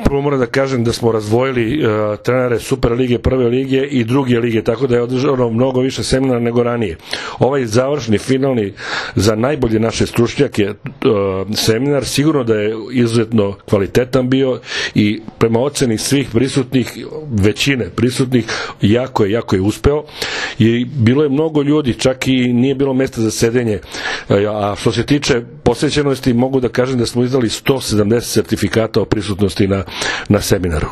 Prvo moram da kažem da smo razdvojili trenere Super lige, Prve lige i Druge lige, tako da je održano mnogo više seminara nego ranije. Ovaj završni, finalni za najbolje naše stručnjake seminar sigurno da je izuzetno kvalitetan bio i prema oceni svih prisutnih, većine prisutnih, jako je uspeo i bilo je mnogo ljudi, čak i nije bilo mesta za sedenje, a što se tiče posvećenosti mogu da kažem da smo izdali 170 sertifikata o prisutnosti na seminaru.